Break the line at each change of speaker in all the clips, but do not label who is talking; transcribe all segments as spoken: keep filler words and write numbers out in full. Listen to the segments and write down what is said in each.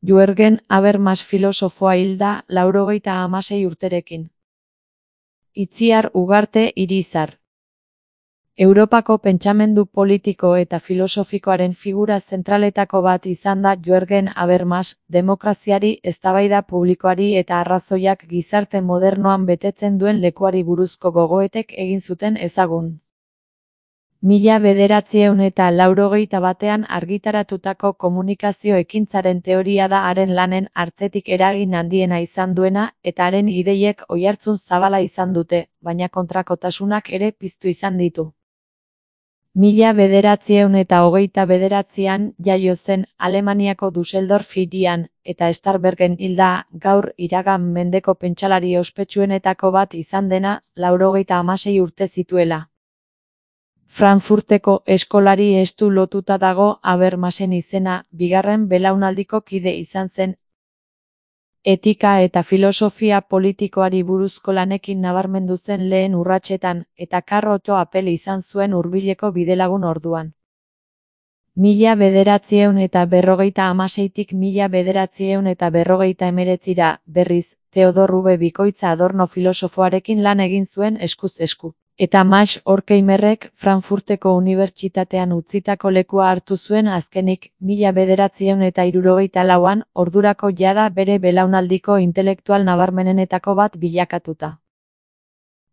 Jürgen Habermas filosofoa hil da laurogeita hamasei urterekin. Itziar Ugarte Irizar. Europako pentsamendu politiko eta filosofikoaren figura zentraletako bat izan da Jürgen Habermas, demokraziari, eztabaida publikoari eta arrazoiak gizarte modernoan betetzen duen lekuari buruzko gogoetek egin zuten ezagun. Mila bederatziehun eta laurogeita batean argitaratutako komunikazio ekintzaren teoria da haren lanen artetik eragin handiena izan duena eta haren ideiek oihartzun zabala izan dute, baina kontrakotasunak ere piztu izan ditu. Mila bederatziehun eta hogeita bederatzian jaio zen Alemaniako Düsseldorf hirian, eta Starbergen hilda, gaur iragan mendeko pentsalari ospetsuenetako bat izan dena, laurogeita hamasei urte zituela. Frankfurteko eskolari estu lotuta dago Habermasen izena, bigarren belaunaldiko kide izan zen. Etika eta filosofia politikoari buruzko lanekin nabarmendu zen lehen urratsetan, eta Karl Otto Appel izan zuen hurbileko bidelagun orduan. Mila bederatziehun eta berrogeita hamaseitik mila bederatziehun eta berrogeita hemeretzira, berriz, Theodor W. Bikoitza Adorno filosofoarekin lan egin zuen eskuz esku. Eta Max Horkheimerrek Frankfurteko Unibertsitatean utzitako lekua hartu zuen azkenik, mila bederatziehun eta hirurogeita lauan, ordurako jada bere belaunaldiko intelektual nabarmenenetako bat bilakatuta.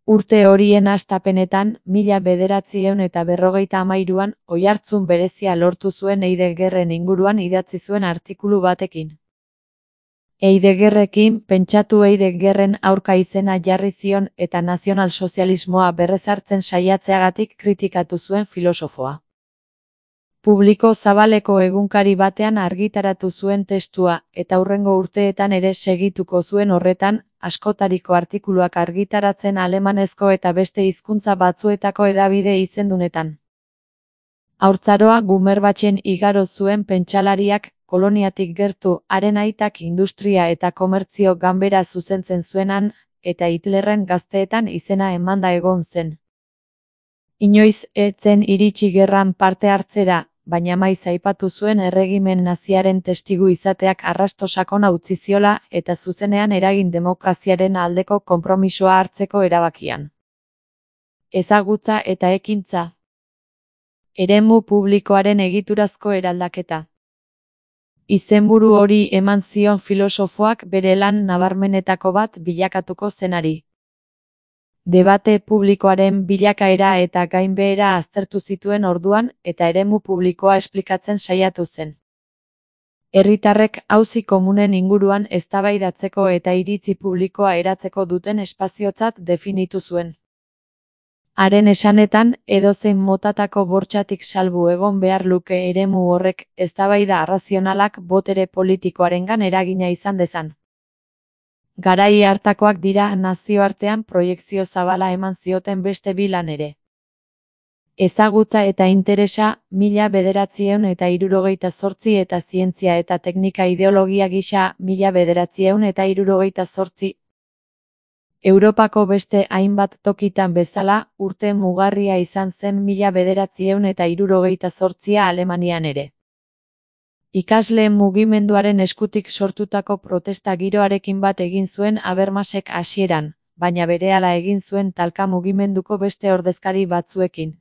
Urte horien hastapenetan, mila bederatziehun eta berrogeita hamairuan, oihartzun berezia lortu zuen Heideggerren inguruan idatzi zuen artikulu batekin. Heideggerrekin pentsatu Heideggerren aurka izena jarri zion eta nazionalsozialismoa berrezartzen saiatzeagatik kritikatu zuen filosofoa. Publiko zabaleko egunkari batean argitaratu zuen testua, eta hurrengo urteetan ere segituko zuen horretan, askotariko artikuluak argitaratzen alemanezko eta beste hizkuntza batzuetako hedabide izendunetan. Haurtzaroa Gummerbachen igaro zuen pentsalariak, koloniatik gertu, haren aitak industria eta komertzio ganbera zuzentzen zuenan, eta Hitlerren gazteetan izena emanda egon zen. Inoiz ez zen iritsi gerran parte hartzera, baina maiz aipatu zuen erregimen naziaren testigu izateak arrasto sakona utzi ziola eta zuzenean eragin demokraziaren aldeko konpromisoa hartzeko erabakian. Ezagutza eta ekintza. Eremu publikoaren egiturazko eraldaketa. Izenburu hori eman zion filosofoak bere lan nabarmenetako bat bilakatuko zenari. Debate publikoaren bilakaera eta gainbehera aztertu zituen orduan eta eremu publikoa esplikatzen saiatu zen. Herritarrek auzi komunen inguruan eztabaidatzeko eta iritzi publikoa eratzeko duten espaziotzat definitu zuen. Haren esanetan, edozein motatako bortxatik salbu egon behar luke eremu horrek, eztabaida arrazionalak botere politikoarengan eragina izan dezan. Garai hartakoak dira nazioartean proiekzio zabala eman zioten beste bi lan ere. Ezagutza eta interesa, mila bederatziehun eta hirurogeita zortzi eta zientzia eta teknika ideologia gisa, mila bederatziehun eta hirurogeita zortzi. Europako beste hainbat tokitan bezala, urte mugarria izan zen mila bederatziehun eta hirurogeita zortzia Alemanian ere. Ikasleen mugimenduaren eskutik sortutako protesta giroarekin bat egin zuen Habermasek hasieran, baina berehala egin zuen talka mugimenduko beste ordezkari batzuekin.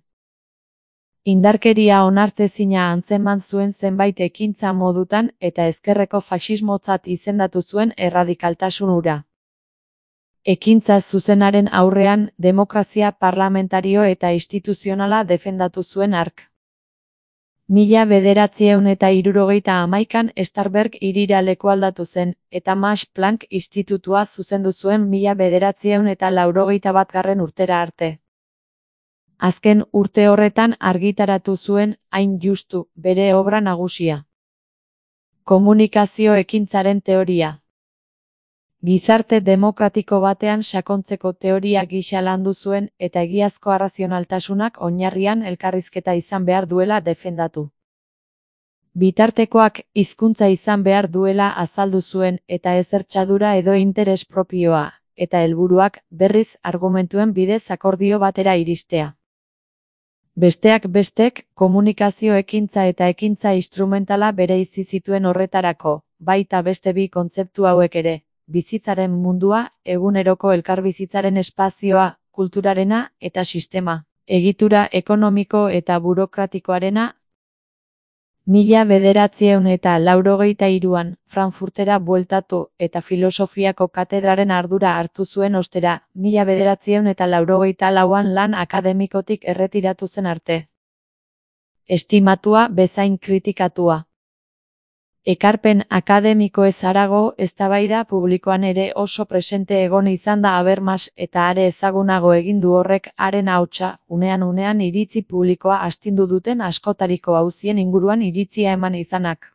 Indarkeria onartezina antzeman zuen zenbait ekintza modutan eta ezkerreko faxismotzat izendatu zuen erradikaltasun hura. Ekintza zuzenaren aurrean, demokrazia parlamentario eta instituzionala defendatu zuen hark. Mila bederatziehun eta hirurogeita hamaikan Starberg hirira lekualdatu zen, eta Max Planck institutua zuzendu zuen mila bederatziehun eta laurogeita batgarren urtera arte. Azken urte horretan argitaratu zuen, hain justu, bere obra nagusia. Komunikazio ekintzaren teoria. Gizarte demokratiko batean sakontzeko teoria gisa landu zuen eta egiazko arrazionaltasunak oinarrian elkarrizketa izan behar duela defendatu. Bitartekoak hizkuntza izan behar duela azaldu zuen eta ezertxadura edo interes propioa, eta helburuak, berriz, argumentuen bidez akordio batera iristea. Besteak bestek, komunikazio ekintza eta ekintza instrumentala bereizi zituen horretarako, baita beste bi kontzeptu hauek ere, bizitzaren mundua, eguneroko elkarbizitzaren espazioa, kulturarena eta sistema, egitura ekonomiko eta burokratikoarena. Mila bederatziehun eta laurogeita hiruan, Frankfurtera bueltatu eta filosofiako katedraren ardura hartu zuen ostera, mila bederatziehun eta laurogeita lauan lan akademikotik erretiratu zen arte. Estimatua bezain kritikatua. Ekarpen akademikoez harago, eztabaida publikoan ere oso presente egon izan da Habermas eta are ezagunago egin du horrek haren ahotsa, unean unean iritzi publikoa astindu duten askotariko auzien inguruan iritzia eman izanak.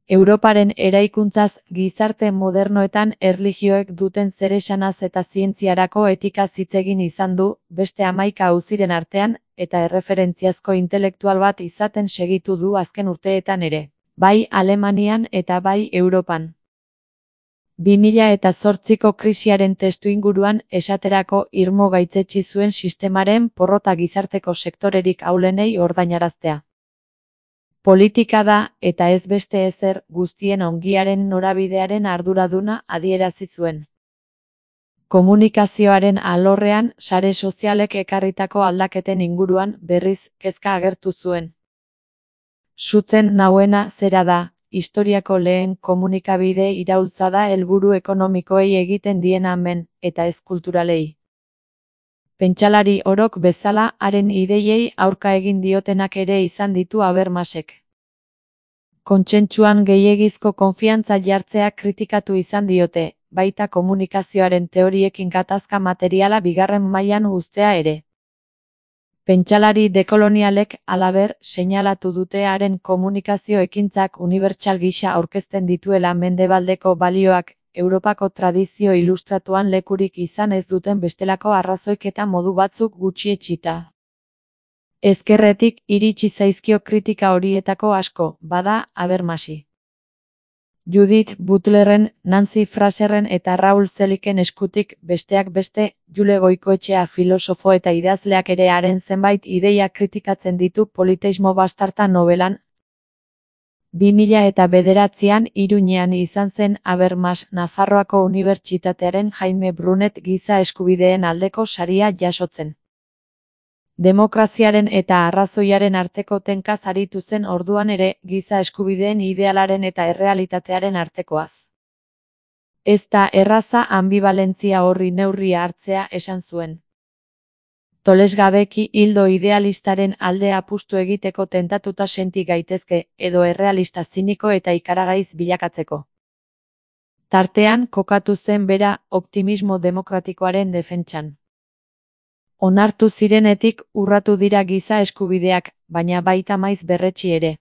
Europaren eraikuntzaz, gizarte modernoetan erlijioek duten zeresanaz eta zientziarako etikaz hitz egin izan du, beste hamaika auziren artean, eta erreferentziazko intelektual bat izaten segitu du azken urteetan ere. Bai Alemanian eta bai Europan. bi mila eta zortziko krisiaren testuinguruan esaterako irmo gaitzetsi zuen sistemaren porrota gizarteko sektorerik ahulenei ordainaraztea. Politika da, eta ez beste ezer, guztien ongiaren norabidearen arduraduna adierazi zuen. Komunikazioaren alorrean, sare sozialek ekarritako aldaketen inguruan, berriz, kezka agertu zuen. Sutzen nauena zera da, historiako lehen komunikabide iraultza da helburu ekonomikoei egiten dien amen, eta ez kulturalei. Pentsalari orok bezala, haren ideiei aurka egin diotenak ere izan ditu Habermasek. Kontsentsuan gehiegizko konfiantza jartzea kritikatu izan diote, baita komunikazioaren teoriekin gatazka materiala bigarren mailan uztea ere. Pentsalari dekolonialek, halaber, seinalatu dute haren komunikazio ekintzak unibertsal gisa aurkezten dituela mendebaldeko balioak, Europako tradizio ilustratuan lekurik izan ez duten bestelako arrazoik eta modu batzuk gutxietsita. Ezkerretik iritsi zaizkio kritika horietako asko, bada, Habermasi. Judith Butlerren, Nancy Fraserren eta Raul Zeliken eskutik, besteak beste, Jule Goikoetxea filosofo eta idazleak ere haren zenbait ideia kritikatzen ditu Politeismo bastarta nobelan. bi mila eta bederatzian Iruñean izan zen Habermas Nafarroako Unibertsitatearen Jaime Brunet giza eskubideen aldeko saria jasotzen. Demokraziaren eta arrazoiaren arteko tenkaz aritu zen orduan ere, giza eskubideen idealaren eta errealitatearen artekoaz. Ez da erraza anbibalentzia horri neurria hartzea esan zuen. Tolesgabeki hildo idealistaren alde apustu egiteko tentatuta senti gaitezke, edo errealista ziniko eta ikaragaiz bilakatzeko. Tartean kokatu zen bera optimismo demokratikoaren defentsan. Onartu zirenetik urratu dira giza eskubideak, baina baita maiz berretsi ere.